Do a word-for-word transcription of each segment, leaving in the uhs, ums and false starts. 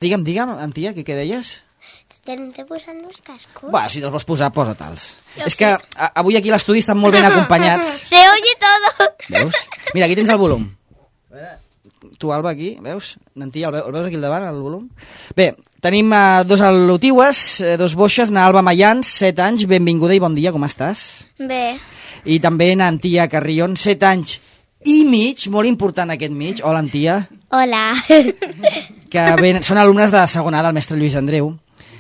Digue'm, digue'm, Antia, què, què deies? Tenen de posar els cascos. Va, si te'ls vols posar, posa-te'ls. És que a, avui aquí a l'estudi estan molt ben acompanyats. Se oye todo. Veus? Mira, aquí tens el volum. A veure, tu, Alba, aquí, veus? Nantia, el, ve el veus aquí al davant, el volum? Bé, tenim uh, dos al·lotiues, uh, dos boixes, na Alba Mayans, set anys, benvinguda i bon dia, com estàs? Bé. I també na Antia Carrion, set anys i mig, molt important aquest mig. Hola, Antia. Hola. Que ben, són alumnes de segona del mestre Lluís Andreu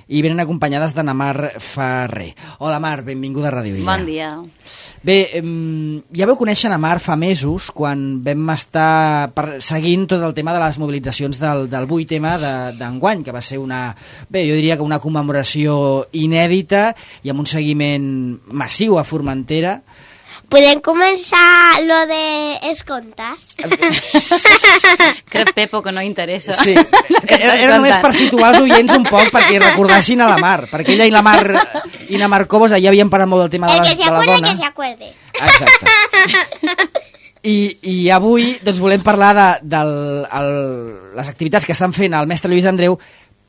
i venen acompanyades de na Mar Ferrer. Hola, Mar, benvinguda a Ràdio Illa. Bon dia. Bé, eh, ja veu conèixer na Mar fa mesos, quan vam estar per, seguint tot el tema de les mobilitzacions del, del vuit eme d'enguany, que va ser una, bé, jo diria que una commemoració inèdita i amb un seguiment massiu a Formentera. Podem començar lo de els contes? Crec, Pepo, que no interessa. Sí, era, era només per situar els oients un poc perquè recordassin a la Mar, perquè ella i la Mar i na Mar Cobos ja havien parlat molt del tema de, les, de la dona. El que se acuerde, que se acuerde. Exacte. I, I avui doncs, volem parlar de, de el, les activitats que estan fent el mestre Lluís Andreu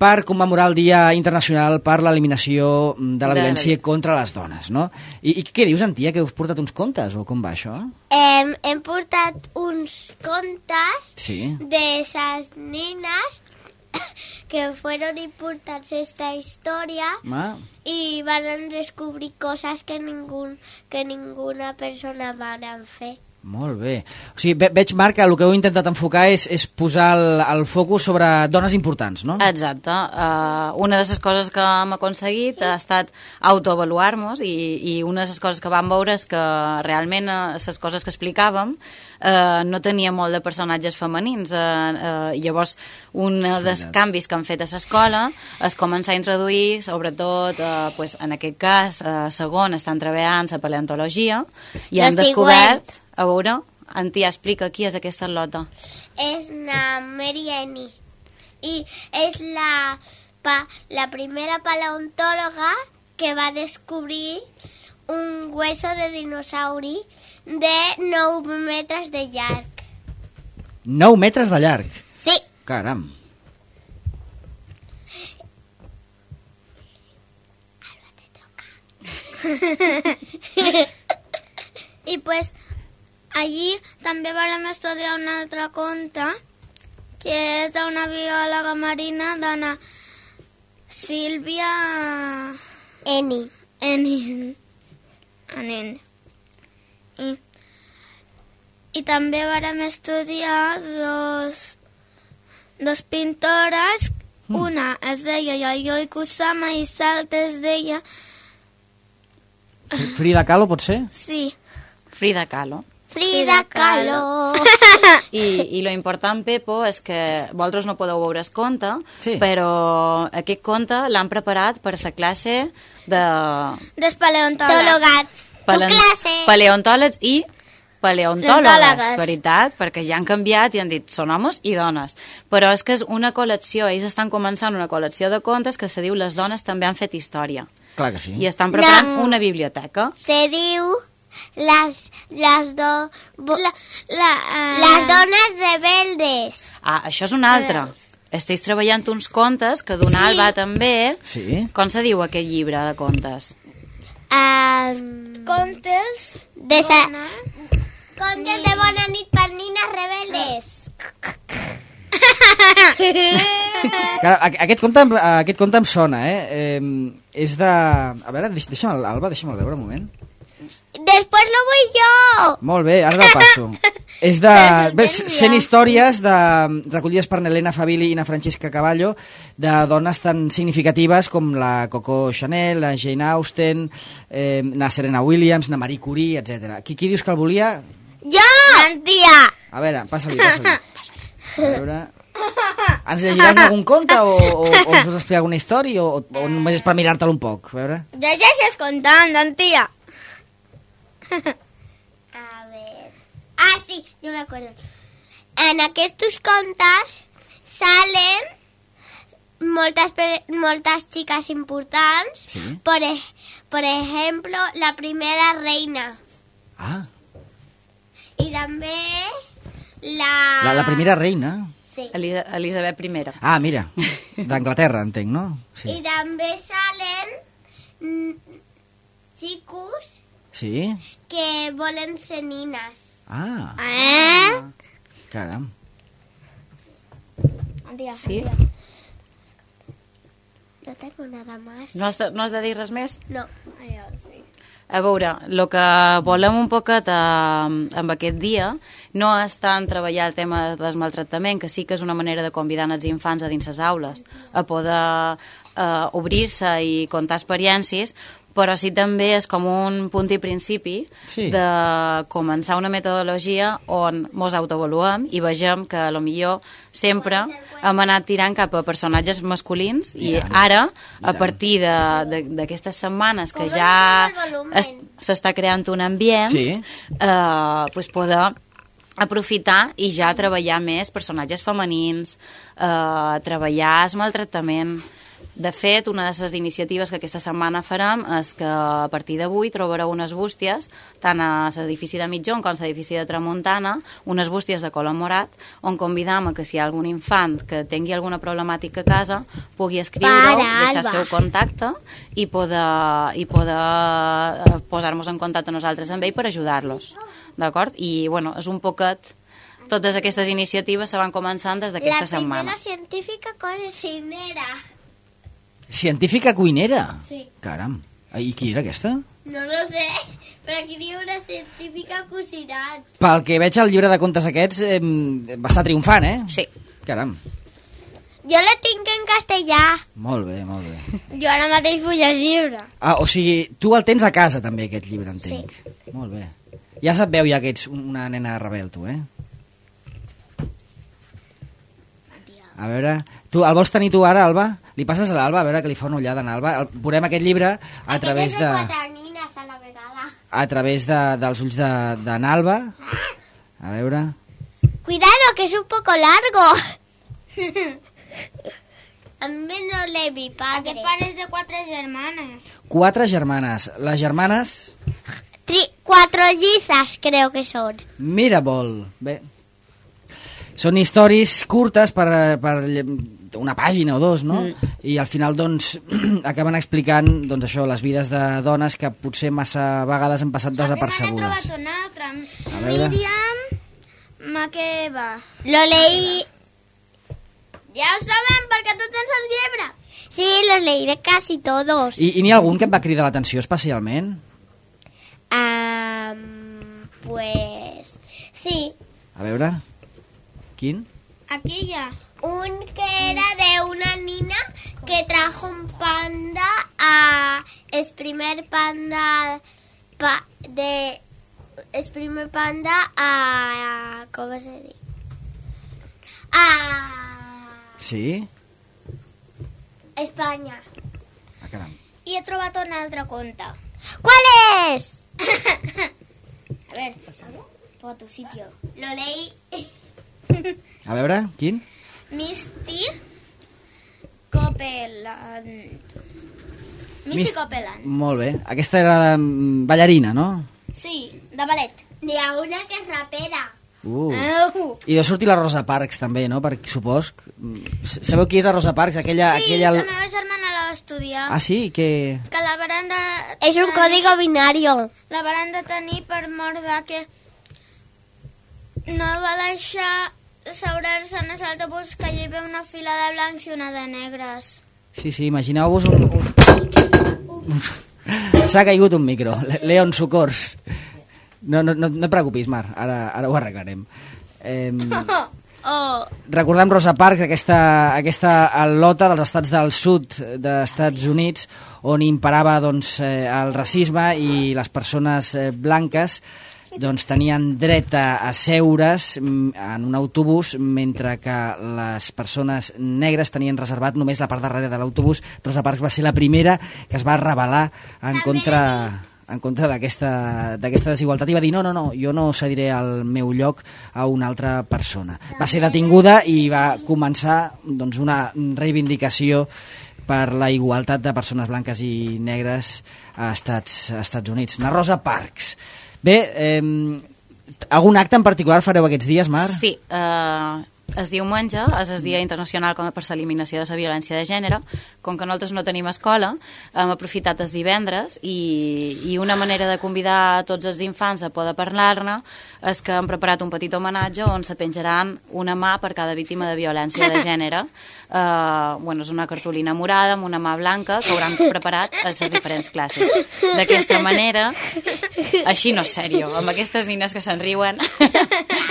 per commemorar el Dia Internacional per l'eliminació de la violència contra les dones, no? I, i què dius, Antia, que us portat uns contes, o com va això? Hem, hem portat uns contes sí. de esas nenas que fueron importants esta història Ma. i van descobrir coses que, ningú, que ninguna persona van fer. Molt bé. O sigui, ve veig, Marc, que el que heu intentat enfocar és, és posar el, el focus sobre dones importants, no? Exacte. Uh, una de les coses que hem aconseguit ha estat autoavaluar-nos i, i una de les coses que vam veure és que realment les uh, coses que explicàvem uh, no tenia molt de personatges femenins. Uh, uh, llavors, un dels canvis que han fet a l'escola és començar a introduir, sobretot, uh, pues, en aquest cas, uh, segon, estan treballant la paleontologia i han descobert... A veure, Antia, explica qui és aquesta al·lota. És na Mary Annie i és la, pa, la primera paleontòloga que va descobrir un hueso de dinosauri de nou metres de llarg. nou metres de llarg? Sí. Caram. Alba, te toca. I pues... allí també vam estudiar un altre conte que és d'una biòloga marina d'Anna Sílvia Eni Eni Eni I, i també vam estudiar dos dos pintores, mm. una es deia Yayoi Kusama i l'altra es deia Frida Kahlo, pot ser? Sí. Frida Kahlo. Frida Kahlo. I, i lo important, Pepo, és que vosaltres no podeu veure el conte, sí. però aquest conte l'han preparat per la classe de... Dels paleontòlegs. Pale... Paleontòlegs i paleontòlogues, veritat, perquè ja han canviat i han dit són homes i dones. Però és que és una col·lecció, ells estan començant una col·lecció de contes que se diu Les dones també han fet història. Clar que sí. I estan preparant no. una biblioteca. Se diu... Las, las, do, bo, la, la, uh, las dones rebeldes. Ah, això és un altre. Esteu treballant uns contes que d'una sí. Alba també. Sí. Com se diu aquest llibre de contes? Um, contes de sa... Contes ni... de bona nit per nines rebeldes. Clar, aquest, conte, aquest conte em sona, eh? eh és de... A veure, deixa'm, Alba, deixa'm veure un moment. Després lo vull jo! Molt bé, ara el passo. És de... cent històries de, recollides per Helena Fabili i na Francesca Cavallo de dones tan significatives com la Coco Chanel, la Jane Austen, eh, na Serena Williams, na Marie Curie, etcètera. Qui, qui dius que el volia? Jo! Antia! A veure, passa-li, passa-li. A veure... Ens llegiràs algun conte o, o, o us explicar alguna història o, o només és per mirar-te'l un poc? A veure... Llegeixes contant, Antia! A ver... Ah, sí, yo me acuerdo. En aquests contes salen moltes, moltes chicas importants. Sí. Por, por ejemplo, la primera reina. Ah. Y també la... La, la primera reina. Sí. Elisa Elisabet primera. Ah, mira, d'Anglaterra, entenc, no? Sí. I també salen mm, xicos Sí? que volen ser nines. Ah, Eh? caram. Sí? No tengo nada más. No has de, no has de dir res més? No. Allò, sí. A veure, el que volem un poquet eh, amb aquest dia no és tant treballar el tema del maltractament, que sí que és una manera de convidar els infants a dins les aules, a poder eh, obrir-se i contar experiències, però sí també és com un punt i principi Sí. de començar una metodologia on mos autoavaluem i vegem que a lo millor sempre hem anat tirant cap a personatges masculins i, I tant. ara, I a tant. partir de- de- d'aquestes setmanes que Com ja el volumen. es- s'està creant un ambient, Sí. eh, pues poder aprofitar i ja treballar més personatges femenins, eh, treballar el maltractament. De fet, una de les iniciatives que aquesta setmana farem és que a partir d'avui trobareu unes bústies, tant a l'edifici de Mitjón com a l'edifici de Tramuntana, unes bústies de color morat, on convidam a que si hi ha algun infant que tingui alguna problemàtica a casa, pugui escriure-ho, Para, deixar el Alba. seu contacte i poder, i poder eh, posar-nos en contacte nosaltres amb ell per ajudar-los. D'acord? I, bueno, és un poquet... Totes aquestes iniciatives se van començant des d'aquesta La setmana. primera científica cocinera. Científica cuinera? Sí. Caram. I qui era aquesta? No lo sé, però aquí diu una científica cocinant. Pel que veig al llibre de contes aquests, eh, va estar triomfant, eh? Sí. Caram. Jo la tinc en castellà. Molt bé, molt bé. Jo ara mateix vull llegir-la. Ah, o sigui, tu el tens a casa també, aquest llibre, entenc. Sí. Molt bé. Ja se't veu ja que ets una nena rebel, tu, eh? A veure, tu el vols tenir tu ara, Alba? Li passes a l'Alba, a veure que li fa una ullada en Alba. El, veurem aquest llibre a través Aquest és de... de quatre nines a la vegada. A través de, dels ulls de, de n'Alba. A veure... Cuidado, que es un poco largo. A mí no le vi padre. Aquest pare és de quatre germanes. Quatre germanes. Les germanes... Tri cuatro llizas, creo que son. Mirabol. Bé. Són històries curtes per, per una pàgina o dos, no? Mm. I al final, doncs, acaben explicant, doncs, això, les vides de dones que potser massa vegades han passat N'he desapercebudes. trobat una altra. A veure. Míriam Makeba. Lo leí... Ja ho sabem, perquè tu tens els llibres. Sí, los leí de casi todos. I, i n'hi ha algun que et va cridar l'atenció especialment? Um, pues... Sí, A veure... Quin? Aquí hi ha. un que era de una niña que trajo un panda a... Es primer panda... Pa, de... Es primer panda a... ¿Cómo se dice? A... Sí? España. Ah, caram. I he trobat un altre conte. ¿Cuál es? A ver, tu a tu sitio. Lo leí. A veure, quin? Misty Copeland. Misty Mis- Copeland. Molt bé. Aquesta era de, mm, ballarina, no? Sí, de ballet. Ni a una que es rapera. Uh. Uh. I deu sortir la Rosa Parks, també, no? Perquè supos... Sabeu qui és la Rosa Parks? Aquella... Sí, aquella... la meva germana la va estudiar. Ah, sí? Que... Que la varen de... Es un código binario. La varen de tenir per mort de que no va deixar seure's en l'autobús que hi havia una fila de blancs i una de negres. Sí, sí, imagineu-vos un... un... S'ha caigut un micro. Le- Leon, socors. No, no, no, no et preocupis, Mar, ara, ara ho arreglarem. Eh, Oh, recordem Rosa Parks, aquesta, aquesta al·lota dels estats del sud dels Estats Units, on imperava doncs, eh, el racisme i les persones eh, blanques doncs, tenien dret a, a seure's mm, en un autobús, mentre que les persones negres tenien reservat només la part darrere de l'autobús. Rosa Parks va ser la primera que es va rebel·lar en contra... en contra d'aquesta d'aquesta desigualtat i va dir no, no, no, jo no cediré el meu lloc a una altra persona. Va ser detinguda i va començar doncs, una reivindicació per la igualtat de persones blanques i negres a Estats, a Estats Units. Na Rosa Parks. Bé, eh, algun acte en particular fareu aquests dies, Mar? Sí, eh, el diumenge és el Dia Internacional per l'Eliminació de la Violència de Gènere. Com que nosaltres no tenim escola, hem aprofitat els divendres i, i una manera de convidar a tots els infants a poder parlar-ne és que hem preparat un petit homenatge on se penjaran una mà per cada víctima de violència de gènere. Uh, bueno, és una cartolina morada amb una mà blanca que hauran preparat a les diferents classes. D'aquesta manera, així no és sèrio, amb aquestes nines que se'n riuen,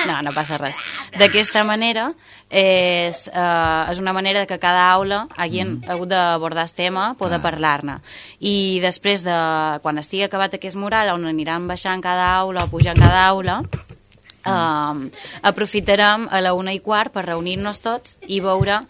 no, no passa res. D'aquesta manera, és, uh, és una manera que cada aula hagin mm. hagut d'abordar el tema, poder ah. parlar-ne. I després, de, quan estigui acabat aquest mural, on aniran baixant cada aula o pujant cada aula, uh, aprofitarem a la una i quart per reunir-nos tots i veure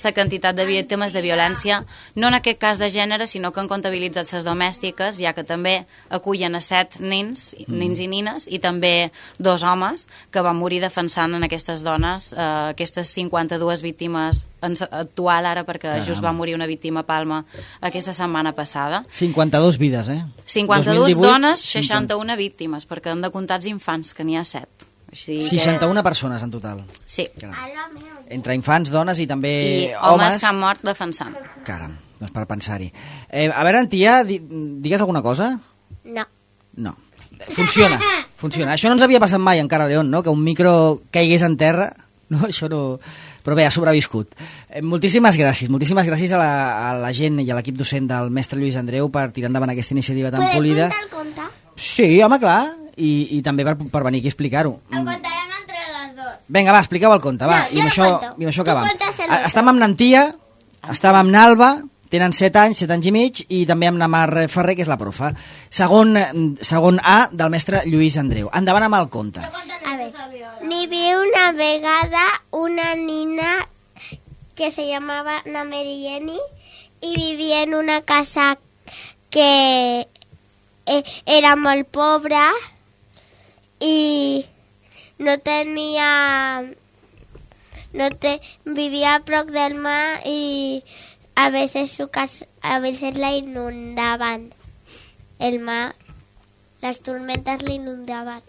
la quantitat de víctimes de violència, no en aquest cas de gènere, sinó que han comptabilitzat les domèstiques, ja que també acullen a set nens, mm. nens i nines, i també dos homes que van morir defensant en aquestes dones, eh, aquestes cinquanta-dues víctimes actual ara, perquè Caram. just va morir una víctima a Palma aquesta setmana passada. cinquanta-dues vides, eh? cinquanta-dues dones, seixanta-una víctimes, perquè han de comptar els infants, que n'hi ha set. Així seixanta-una que... persones en total. Sí. Entre infants, dones i també I homes. homes que han mort defensant. Caram, doncs per pensar-hi. Eh, a veure, Antia, di digues alguna cosa? No. No. Funciona, funciona. Això no ens havia passat mai encara, León, no? Que un micro caigués en terra. No, això no... Però bé, ha sobreviscut. Eh, moltíssimes gràcies. Moltíssimes gràcies a la, a la gent i a l'equip docent del mestre Lluís Andreu per tirar endavant aquesta iniciativa tan Podem polida. contar el conte? Sí, home, clar. I, i també per, per venir aquí a explicar-ho. El contarem entre les dues. Vinga, va, expliqueu el conte, va. No, I amb això, i amb això acabem. A, estàvem amb Nantia, estàvem amb Nalba, tenen set anys, set anys i mig, i també amb Namar Ferrer, que és la profa. Segon, segon A del mestre Lluís Andreu. Endavant amb el conte. A veure, n'hi havia una vegada una nina que se llamava Ana Merieni i vivia en una casa que eh, era molt pobra i no tenia... no te, vivia a prop del mar i a veces su casa, a veces la inundaban. El mar, las tormentas la inundaban.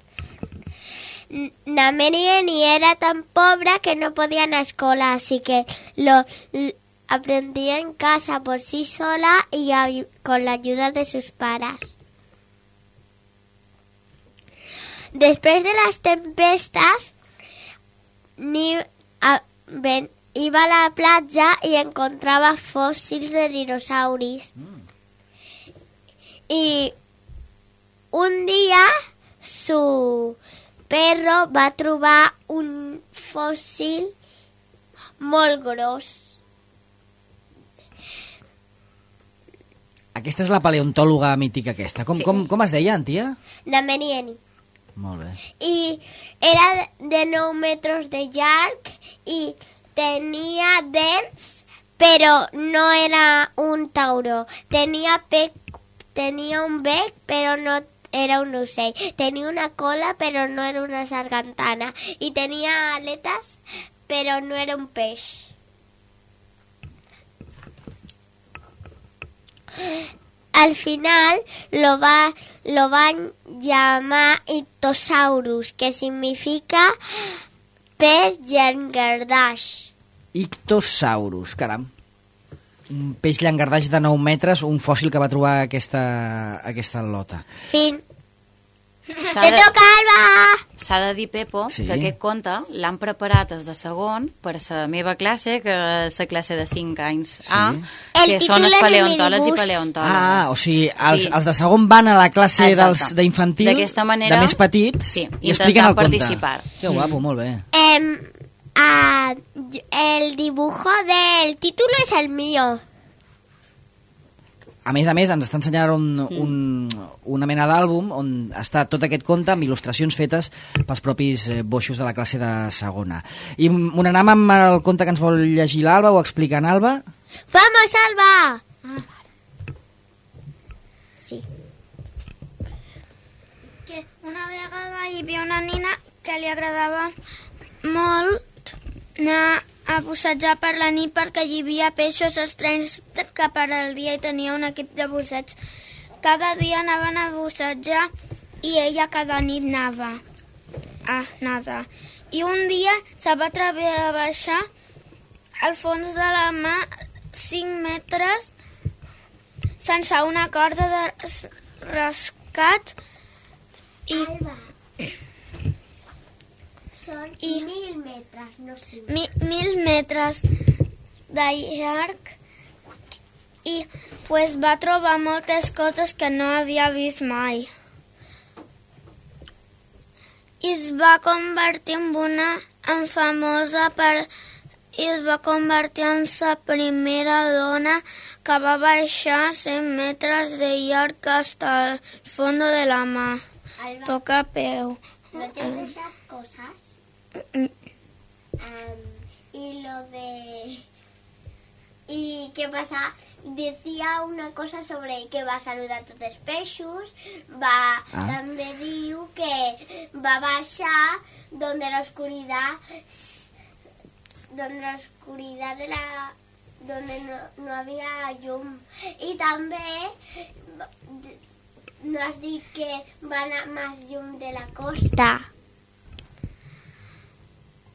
Namerieni era tan pobre que no podía ir a escuela, así que lo, lo aprendía en casa por sí sola y a, con la ayuda de sus padres. Después de las tempestas, ni, a, ven, iba a la playa y encontraba fósiles de dinosaurios. Mm. Y un día su perro va trobar un fòssil molt gros. Aquesta és la paleontòloga mítica aquesta. Com, Sí. com, com es deia, Antia? Namerieni. Molt bé. Y era de nou metros de llarg y tenía dents, pero no era un tauró. Tenía, bec, tenía un bec, pero no era un ocell. Tenía una cola, pero no era una sargantana. Y tenía aletas, pero no era un peix. Al final lo, va, lo van llamar Ictosaurus, que significa pez llangardaix. Ictosaurus, caram. Un peix llangardaix de nou metres, un fòssil que va trobar aquesta, aquesta lota. Fin. S'ha Te de, toca, Alba! s'ha de dir, Pepo, Sí. que aquest conte l'han preparat des de segon per la meva classe, que és la classe de cinc anys A, Sí. que El són títol els és el paleontòlegs i minibús. paleontòlogues. Ah, o sigui, els, Sí. els de segon van a la classe Exacte. dels d'infantil, D'aquesta manera, de més petits, sí, i expliquen el intentant conte. participar. Que guapo, molt bé. Em, ah, el dibujo del título es el mío. A més a més, ens està ensenyant un, un, una mena d'àlbum on està tot aquest conte amb il·lustracions fetes pels propis eh, boixos de la classe de segona. I on anem amb el conte que ens vol llegir l'Alba o explicar en Alba? ¡Vamos, Alba! Sí. Que una vegada hi havia una nina que li agradava molt anar a bussejar per la nit perquè hi havia peixos estranys que per al dia hi tenia un equip de busseig. Cada dia anaven a bussejar i ella cada nit anava a nedar. I un dia se va atrever a baixar al fons de la mà cinc metres sense una corda de rescat i, Alba, són I- mil metres, no cinc. mi, mil metres de llarg i pues, va trobar moltes coses que no havia vist mai. I es va convertir en una en famosa per, i es va convertir en la primera dona que va baixar cent metres de llarg hasta el fondo de la mà. Alba, Toca peu. ¿no te has deixat cosas? Mm. Um, y lo de... ¿Y qué pasa? Decía una cosa sobre que va saludar tots els peixos, va, Ah. també diu que va baixar donde la oscuridad, donde la oscuridad de la, donde no, no había llum. Y també no has dit que va anar més llum de la costa.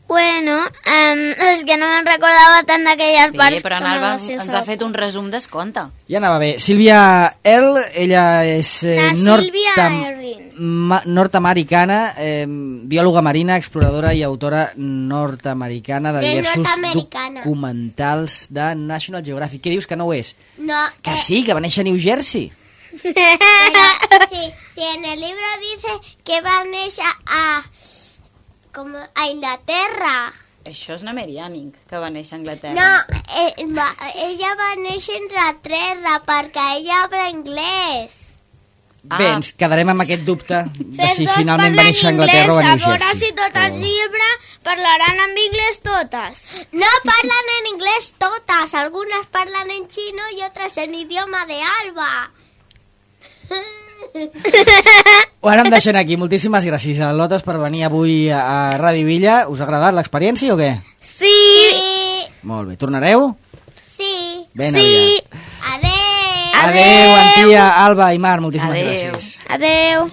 Bueno, um, és que no me'n recordava tant d'aquelles parts. Sí, però en com Alba va ser ens la- ha fet un resum d'esconte. Ja anava bé. Sílvia Earl, ella és eh, La Sílvia nortam- Erling. ma- nord-americana, eh, biòloga marina, exploradora i autora nord-americana de De diversos nord-americana. documentals de National Geographic. Què dius que no ho és? No, Que eh, sí, que va néixer a New Jersey. Pero, sí, sí, en el libro dice que va a néixer a, como a Inglaterra. Això és una Meriànic, que va néixer a Anglaterra. No, eh, va, ella va néixer en Inglaterra perquè ella habla anglès. Ah. Bé, ens quedarem amb aquest dubte de Les si dos finalment va parlen néixer a Anglaterra o a inglès, New a veure Jersey. si tot el llibre parlaran en anglès totes. No parlan en inglés todas, algunas parlan en chino y otras en idioma de Alba. Ho ara em deixen aquí. Moltíssimes gràcies a Lotes per venir avui a Ràdio Villa. Us ha agradat l'experiència o què? Sí, Sí, Molt bé. Tornareu? sí. Ben sí. aviat. Adeu. Adéu, Antia, Alba i Mar. Moltíssimes Adéu. gràcies. Adeu.